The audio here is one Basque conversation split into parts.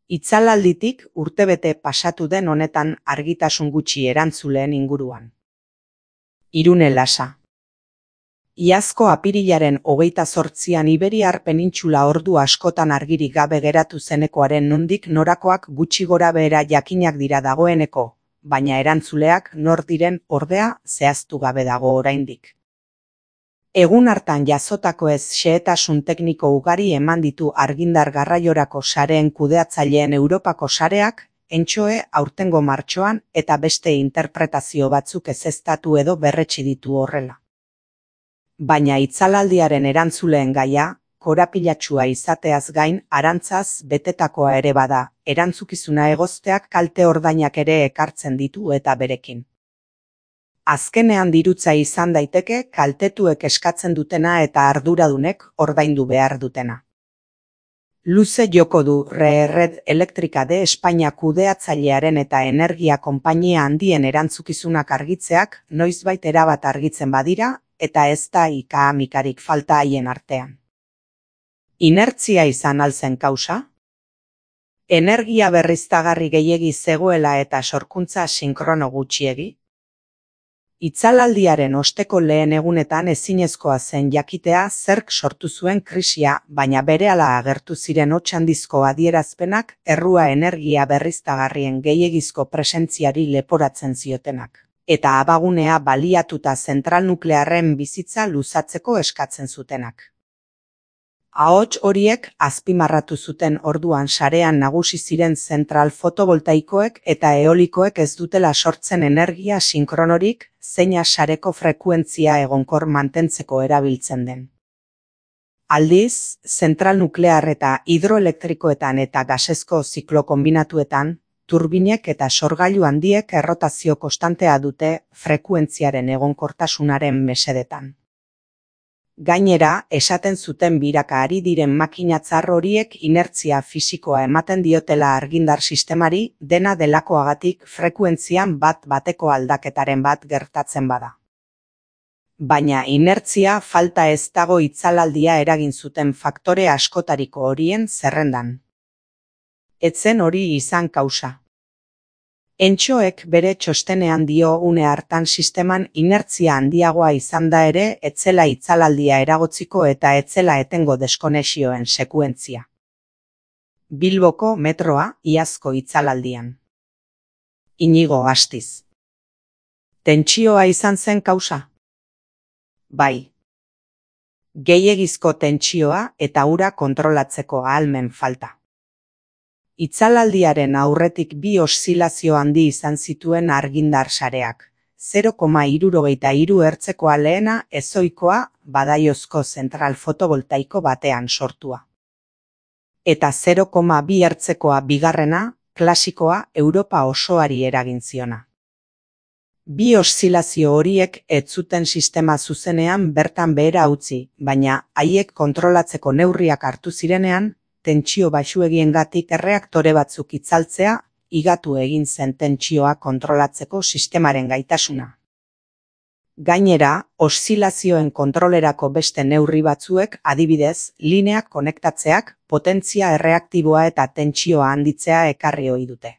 Itzalalditik urtebete pasatu den honetan argitasun gutxi erantzuleen inguruan. Irune Lasa. Iazko apirilaren 28an Iberiar penintxula ordu askotan argirik gabe geratu zenekoaren nondik norakoak gutxi gorabehera jakinak dira dagoeneko, baina erantzuleak nor diren ordea zehaztu gabe dago oraindik. Egun hartan jasotako xehetasun tekniko ugari eman ditu argindar garraiorako sareen kudeatzaileen Europako sareak, entxoe aurtengo martxoan eta beste interpretazio batzuk ezeztatu edo berretsi ditu horrela. Baina itzalaldiaren erantzuleen gaia, korapilatsua izateaz gain arantzaz betetakoa ere bada, erantzukizuna egozteak kalte ordainak ere ekartzen ditu eta berekin. Azkenean dirutza izan daiteke kaltetuek eskatzen dutena eta arduradunek ordaindu behar dutena. Luze joko du Red Eléctrica de Espainia kudeatzailearen eta energia konpainia handien erantzukizunak argitzeak noizbait erabat argitzen badira eta ez da ika-amikarik falta haien artean. Inertzia izan alzen kausa? Energia berriztagarri gehiegi zegoela eta sorkuntza sinkrono gutxiegi? Itzalaldiaren osteko lehen egunetan ezinezkoa zen jakitea zerk sortu zuen krisia, baina berehala agertu ziren hots handizko adierazpenak errua energia berriztagarrien gehiegizko presentziari leporatzen ziotenak, eta abagunea baliatuta zentral nuklearren bizitza luzatzeko eskatzen zutenak. Ahots horiek azpimarratu zuten orduan sarean nagusi ziren zentral fotovoltaikoek eta eolikoek ez dutela sortzen energia sinkronorik, zeina sareko frekuentzia egonkor mantentzeko erabiltzen den. Aldiz, zentral nuklear eta hidroelektrikoetan eta gasezko ziklo konbinatuetan, turbinek eta sorgailu handiek errotazio konstantea dute frekuentziaren egonkortasunaren mesedetan. Gainera, esaten zuten biraka ari diren makinatzar horiek inertzia fisikoa ematen diotela argindar sistemari dena delakoagatik frekuentzian bat-bateko aldaketaren bat gertatzen bada. Baina inertzia falta ez dago itzalaldia eragin zuten faktore askotariko horien zerrendan. Etzen hori izan kausa. Entxoek bere txostenean dio une hartan sisteman inertzia handiagoa izan da ere etzela itzalaldia eragotziko eta etzela etengo deskonesioen sekuentzia. Bilboko metroa iazko itzalaldian. Inigo Astiz. Tentsioa izan zen kausa? Bai. Gehiegizko tentsioa eta ura kontrolatzeko ahalmen falta. Itzalaldiaren aurretik bi oszilazio handi izan zituen argindar sareak. 0,63 hertzekoa lehena ezoikoa Badaiozko zentral fotovoltaiko batean sortua. Eta 0,2 hertzekoa bigarrena, klasikoa Europa osoari eragin ziona. Bi oszilazio horiek ez zuten sistema zuzenean bertan behera utzi, baina haiek kontrolatzeko neurriak hartu zirenean, tentsio baxuegiengatik erreaktore batzuk itzaltzea, higatu egin zen tentsioa kontrolatzeko sistemaren gaitasuna. Gainera, oszilazioen kontrolerako beste neurri batzuek, adibidez, lineak konektatzeak, potentzia erreaktiboa eta tentsioa handitzea ekarri ohi dute.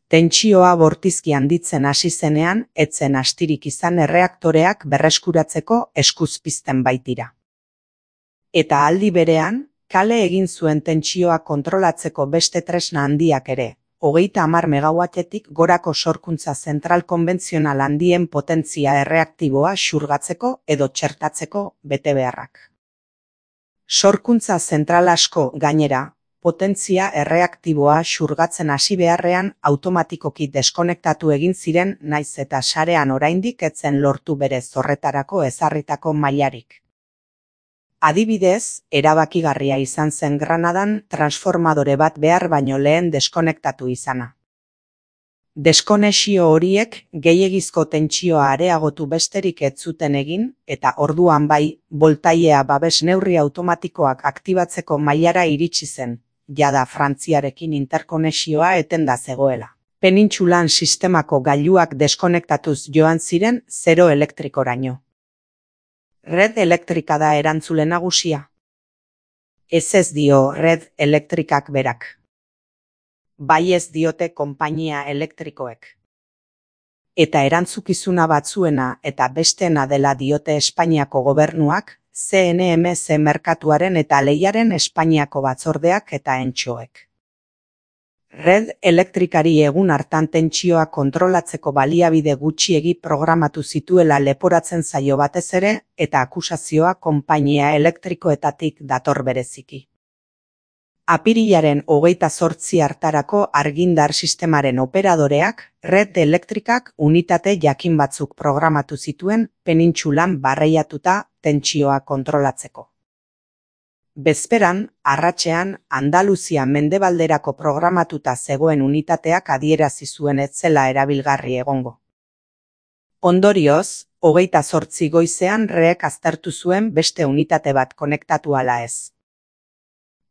Tentsioa bortizki handitzen hasi zenean, ez zen astirik izan erreaktoreak berreskuratzeko eskuz pizten baitira. Eta aldi berean, kale egin zuen tentsioa kontrolatzeko beste tresna handiak ere, 30 megawattetik gorako sorkuntza zentral konbentzional handien potentzia erreaktiboa xurgatzeko edo txertatzeko betebeharrak. Sorkuntza zentral asko, gainera, potentzia erreaktiboa xurgatzen hasi beharrean automatikoki deskonektatu egin ziren naiz eta sarean oraindik ez zen lortu bere zorretarako ezarritako mailarik. Adibidez, erabakigarria izan zen Granadan transformadore bat behar baino lehen deskonektatu izana. Deskonexio horiek gehiegizko tentsioa areagotu besterik ez zuten egin eta orduan bai, boltailea babes neurri automatikoak aktibatzeko mailara iritsi zen, jada Frantziarekin interkonexioa etenda zegoela. Penintxulan sistemako gailuak deskonektatuz joan ziren zero elektrikoraino. Red Eléctrica da erantzule nagusia. Ez dio Red Eléctricak berak. baiez diote konpainia elektrikoek. Eta erantzukizuna batzuena eta besteena dela diote Espainiako gobernuak, CNMC merkatuaren eta lehiaren Espainiako batzordeak eta entxoek. Red elektrikari egun hartan tentsioa kontrolatzeko baliabide gutxiegi programatu zituela leporatzen zaio batez ere eta akusazioa konpainia elektrikoetatik dator bereziki. Apirilaren 28 hartarako argindar sistemaren operadoreak Red Elektrikak unitate jakin batzuk programatu zituen penintsulan barreiatuta tentsioa kontrolatzeko. Bezperan, arratsean, Andaluzia mendebalderako programatuta zegoen unitateak adierazi zuen ez zela erabilgarri egongo. Ondorioz, 28 goizean REek aztertu zuen beste unitate bat konektatu ala ez.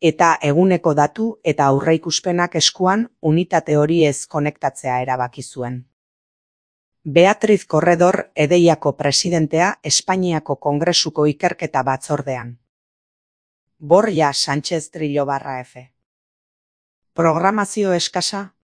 Eta eguneko datu eta aurreikuspenak eskuan unitate hori ez konektatzea erabaki zuen. Beatriz Corredor Edeiako presidentea Espainiako Kongresuko ikerketa batzordean. Borja Sánchez Trillo /F. Programazio eskasa?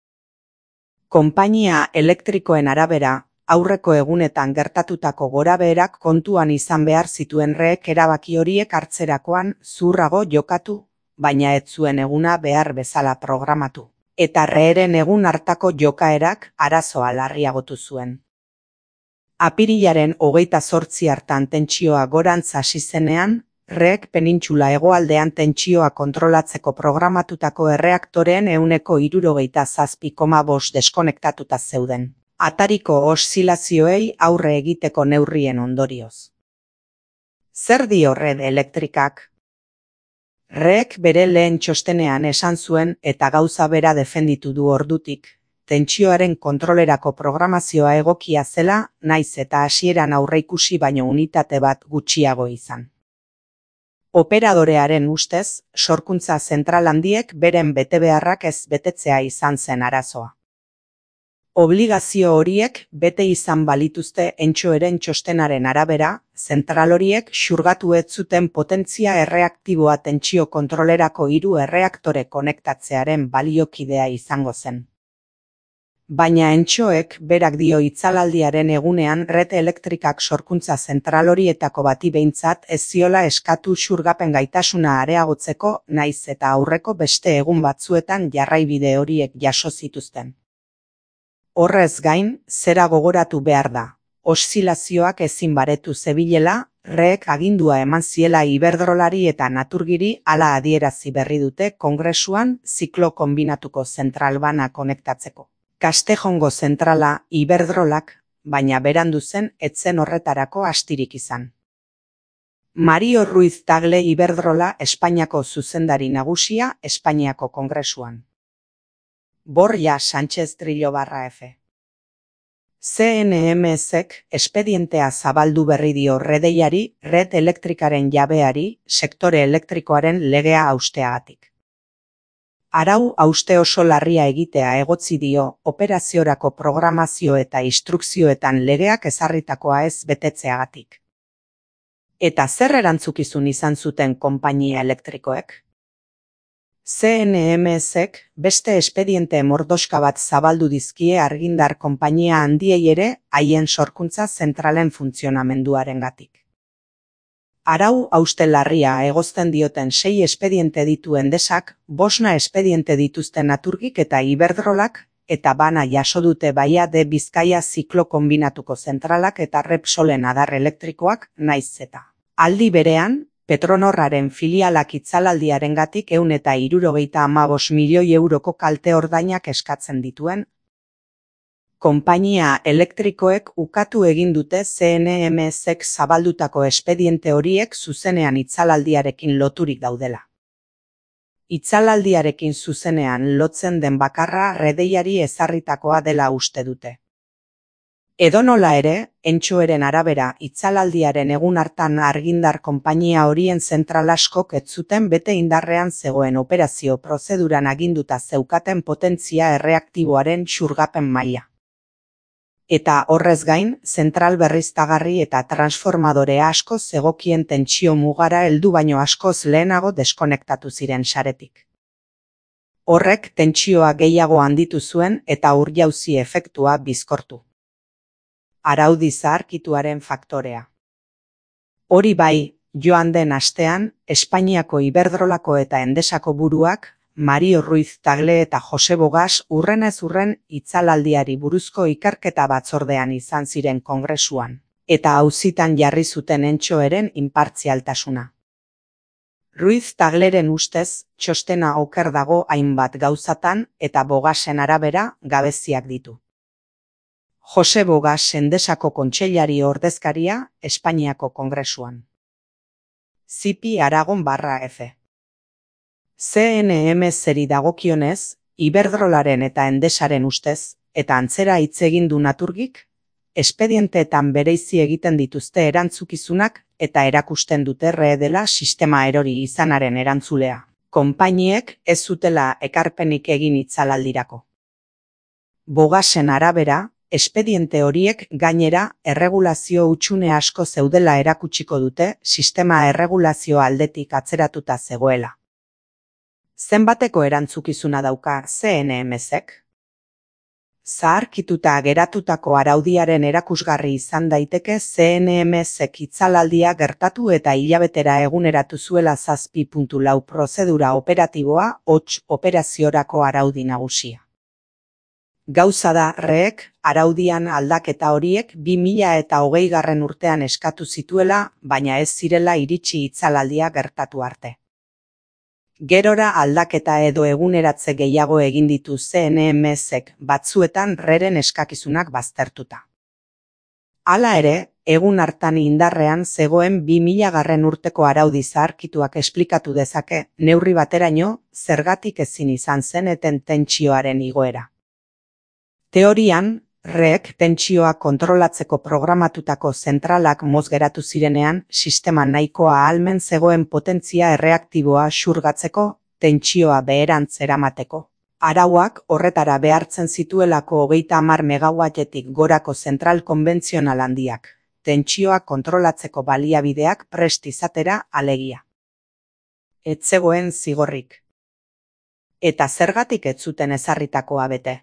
Konpainia elektrikoen arabera, aurreko egunetan gertatutako gorabeherak kontuan izan behar zituen REek erabaki horiek hartzerakoan zurrago jokatu, baina ez zuen eguna behar bezala programatu. Eta REeren egun hartako jokaerak arazoa larriagotu zuen. Apirilaren 28 hartan tentsioa gorantz hasi zenean, REek penintsula hegoaldean tentsioa kontrolatzeko programatutako erreaktoreen 67,5 deskonektatuta zeuden. Atariko oszilazioei aurre egiteko neurrien ondorioz. Zer dio Red Elektrikak? REek bere lehen txostenean esan zuen eta gauza bera defenditu du ordutik, tentsioaren kontrolerako programazioa egokia zela, naiz eta hasieran aurreikusi baino unitate bat gutxiago izan. Operadorearen ustez, sorkuntza zentral handiek beren betebeharrak ez betetzea izan zen arazoa. Obligazio horiek bete izan balituzte entxoeren txostenaren arabera, zentral horiek xurgatu ez zuten potentzia erreaktiboa tentsio kontrolerako 3 erreaktore konektatzearen baliokidea izango zen. Baina entxoek berak dio itzalaldiaren egunean Red Elektrikak sorkuntza zentral horietako bati behintzat ez ziola eskatu xurgapen gaitasuna areagotzeko naiz eta aurreko beste egun batzuetan jarraibide horiek jaso zituzten. Horrez gain, zera gogoratu behar da. Oszilazioak ezin baretu zebilela, REek agindua eman ziela Iberdrolari eta Naturgiri hala adierazi berri dute Kongresuan ziklo konbinatuko zentral bana konektatzeko. Castejongo zentrala Iberdrolak, baina berandu zen etzen horretarako astirik izan. Mario Ruiz Tagle Iberdrola Espainiako zuzendari nagusia Espainiako Kongresuan. Borja Sánchez Trillo /F. CNMCek espedientea zabaldu berri dio Redeiari, Red Elektrikaren jabeari, sektore elektrikoaren legea hausteagatik. Arau hauste oso larria egitea egotzi dio operaziorako programazio eta instrukzioetan legeak ezarritakoa ez betetzeagatik. Eta zer erantzukizun izan zuten konpainia elektrikoek? CNMCek beste espediente mordoska bat zabaldu dizkie argindar konpainia handiei ere haien sorkuntza zentralen funtzionamenduarengatik. Arau hauste larria egozten dioten 6 espediente ditu Endesak, 5 espediente dituzten Naturgik eta Iberdrolak, eta bana jaso dute Baia de Bizkaia ziklo konbinatuko zentralak eta Repsolen adar elektrikoak naiz eta. Aldi berean, Petronorraren filialak itzalaldiarengatik 175 milioi euroko kalte ordainak eskatzen dituen. Konpainia elektrikoek ukatu egin dute CNMCek zabaldutako espediente horiek zuzenean itzalaldiarekin loturik daudela. Itzalaldiarekin zuzenean lotzen den bakarra Redeiari ezarritakoa dela uste dute. Edonola ere, entxoeren arabera itzalaldiaren egun hartan argindar konpainia horien zentral askok ez zuten bete indarrean zegoen operazio prozeduran aginduta zeukaten potentzia erreaktiboaren xurgapen maila. Eta horrez gain, zentral berriztagarri eta transformadore asko zegokien tentsio mugara heldu baino askoz lehenago deskonektatu ziren saretik. Horrek tentsioa gehiago handitu zuen eta ur-jauzi efektua bizkortu. Araudi zaharkituaren faktorea. Hori bai, joan den astean, Espainiako Iberdrolako eta Endesako buruak, Mario Ruiz Tagle eta Jose Bogas urrenez urren itzalaldiari buruzko ikerketa batzordean izan ziren kongresuan, eta auzitan jarri zuten entxoeren inpartzialtasuna. Ruiz Tagleren ustez, txostena oker dago hainbat gauzatan eta Bogasen arabera gabeziak ditu. Jose Bogas Endesako kontseilari ordezkaria Espainiako kongresuan. Zipi Aragon/F. CNMS-eri dagokionez, Iberdrolaren eta Endesaren ustez, eta antzera hitz egin du Naturgik, espedienteetan bereizi egiten dituzte erantzukizunak eta erakusten dute dela sistema erori izanaren erantzulea. Konpainiek ez zutela ekarpenik egin itzalaldirako. Bogasen arabera, espediente horiek gainera erregulazio hutsune asko zeudela erakutsiko dute sistema erregulazio aldetik atzeratuta zegoela. Zenbateko erantzukizuna dauka CNMS-ek? Zaharkituta geratutako araudiaren erakusgarri izan daiteke CNMS-ek itzalaldia gertatu eta hilabetera eguneratu zuela 7.4 prozedura operatiboa hots operaziorako araudi nagusia. Gauza da REek araudian aldaketa horiek 2020 urtean eskatu zituela, baina ez zirela iritsi itzalaldia gertatu arte. Gerora aldaketa edo eguneratze gehiago egin ditu CNMS-ek batzuetan REren eskakizunak baztertuta. Hala ere, egun hartan indarrean zegoen 2000 urteko araudi zaharkituak esplikatu dezake neurri bateraino zergatik ezin izan zen eten tentsioaren igoera. Teorian, REek tentsioa kontrolatzeko programatutako zentralak mozgeratu zirenean, sistema nahikoa ahalmen zegoen potentzia erreaktiboa xurgatzeko, tentsioa beherantz eramateko. Arauak horretara behartzen zituelako 30 megawattetik gorako zentral konbentzional handiak, tentsioa kontrolatzeko baliabideak prest izatera alegia. Ez zegoen zigorrik. Eta zergatik ez zuten ezarritakoa bete?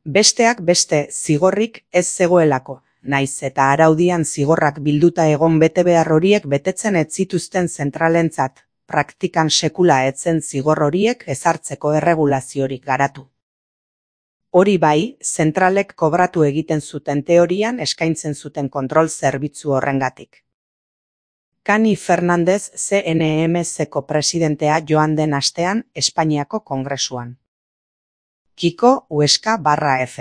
Besteak beste zigorrik ez zegoelako, naiz eta araudian zigorrak bilduta egon betebehar horiek betetzen ez zituzten zentralentzat, praktikan sekula etzen zigor horiek ezartzeko erregulaziorik garatu. Hori bai, zentralek kobratu egiten zuten teorian eskaintzen zuten kontrol zerbitzu horrengatik. Cani Fernandez CNMS-eko presidentea joan den astean Espainiako kongresuan. Kiko Huesca/F.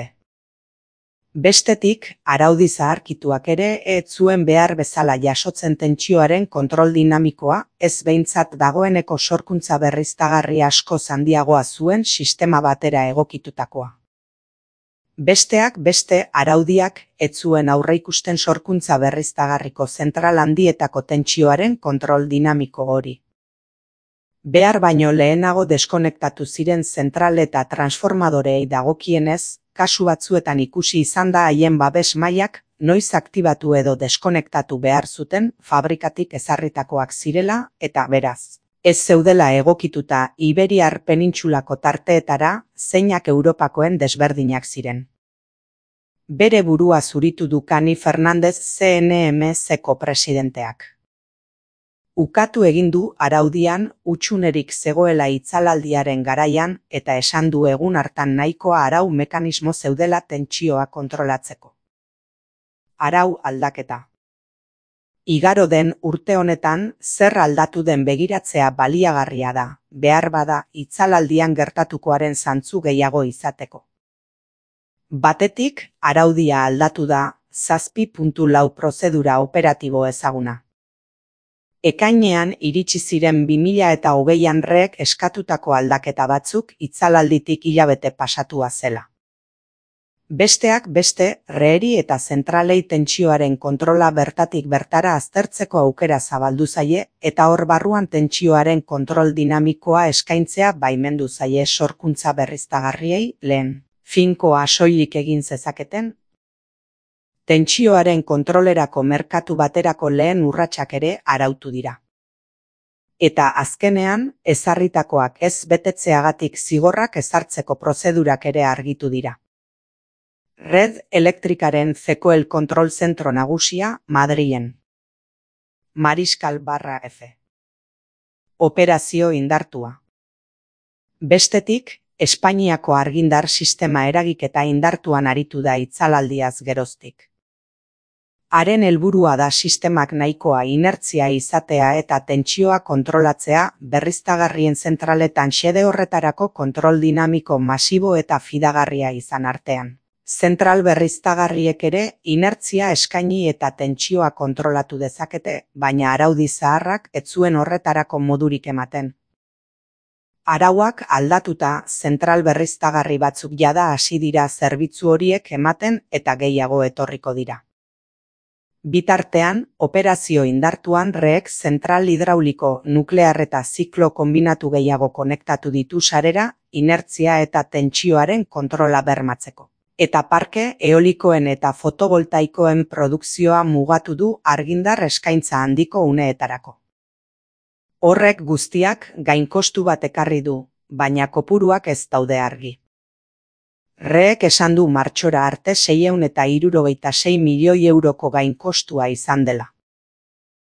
Bestetik, araudi zaharkituak ere ez zuen behar bezala jasotzen tentsioaren kontrol dinamikoa, ez behintzat dagoeneko sorkuntza berriztagarri asko handiagoa zuen sistema batera egokitutakoa. Besteak beste araudiak ez zuen aurreikusten sorkuntza berriztagarriko zentral handietako tentsioaren kontrol dinamiko hori. Behar baino lehenago deskonektatu ziren zentral eta transformadorei dagokienez, kasu batzuetan ikusi izan da haien babes mailak noiz aktibatu edo deskonektatu behar zuten fabrikatik ezarritakoak zirela eta beraz. Ez zeudela egokituta Iberiar penintsulako tarteetara, zeinak Europakoen desberdinak ziren. Bere burua zuritu du Cani Fernandez CNMS-eko presidenteak. Ukatu egin du araudian hutsunerik zegoela itzalaldiaren garaian eta esan du egun hartan nahikoa arau mekanismo zeudela tentsioa kontrolatzeko. Arau aldaketa. Igaro den urte honetan zer aldatu den begiratzea baliagarria da, behar bada itzalaldian gertatukoaren zantzu gehiago izateko. Batetik, araudia aldatu da 7.4 prozedura operatibo ezaguna. Ekainean iritsi ziren 2020an REek eskatutako aldaketa batzuk itzalalditik hilabete pasatua zela. Besteak beste, REeri eta zentralei tentsioaren kontrola bertatik bertara aztertzeko aukera zabaldu zaie eta hor barruan tentsioaren kontrol dinamikoa eskaintzea baimendu zaie sorkuntza berriztagarriei lehen. Finkoa soilik egin zezaketen. Tentsioaren kontrolerako merkatu baterako lehen urratsak ere arautu dira. Eta azkenean, ezarritakoak ez betetzeagatik zigorrak ezartzeko prozedurak ere argitu dira. Red Elektrikaren CECOEL kontrol zentro nagusia Madrilen. Mariskal/F. Operazio indartua. Bestetik, Espainiako argindar sistema eragiketa indartuan aritu da itzalaldiaz geroztik. Haren helburua da sistemak nahikoa inertzia izatea eta tentsioa kontrolatzea berriztagarrien zentraletan xede horretarako kontrol dinamiko masibo eta fidagarria izan artean. Zentral berriztagarriek ere inertzia eskaini eta tentsioa kontrolatu dezakete, baina araudi zaharrak ez zuen horretarako modurik ematen. Arauak aldatuta, zentral berriztagarri batzuk jada hasi dira zerbitzu horiek ematen eta gehiago etorriko dira. Bitartean, operazio indartuan REek zentral hidrauliko, nuklear eta ziklo konbinatu gehiago konektatu ditu sarera, inertzia eta tentsioaren kontrola bermatzeko. Eta parke eolikoen eta fotovoltaikoen produkzioa mugatu du argindar eskaintza handiko uneetarako. Horrek guztiak gainkostu bat ekarri du, baina kopuruak ez daude argi. REek esan du martxora arte 676 milioi euroko gainkostua izan dela.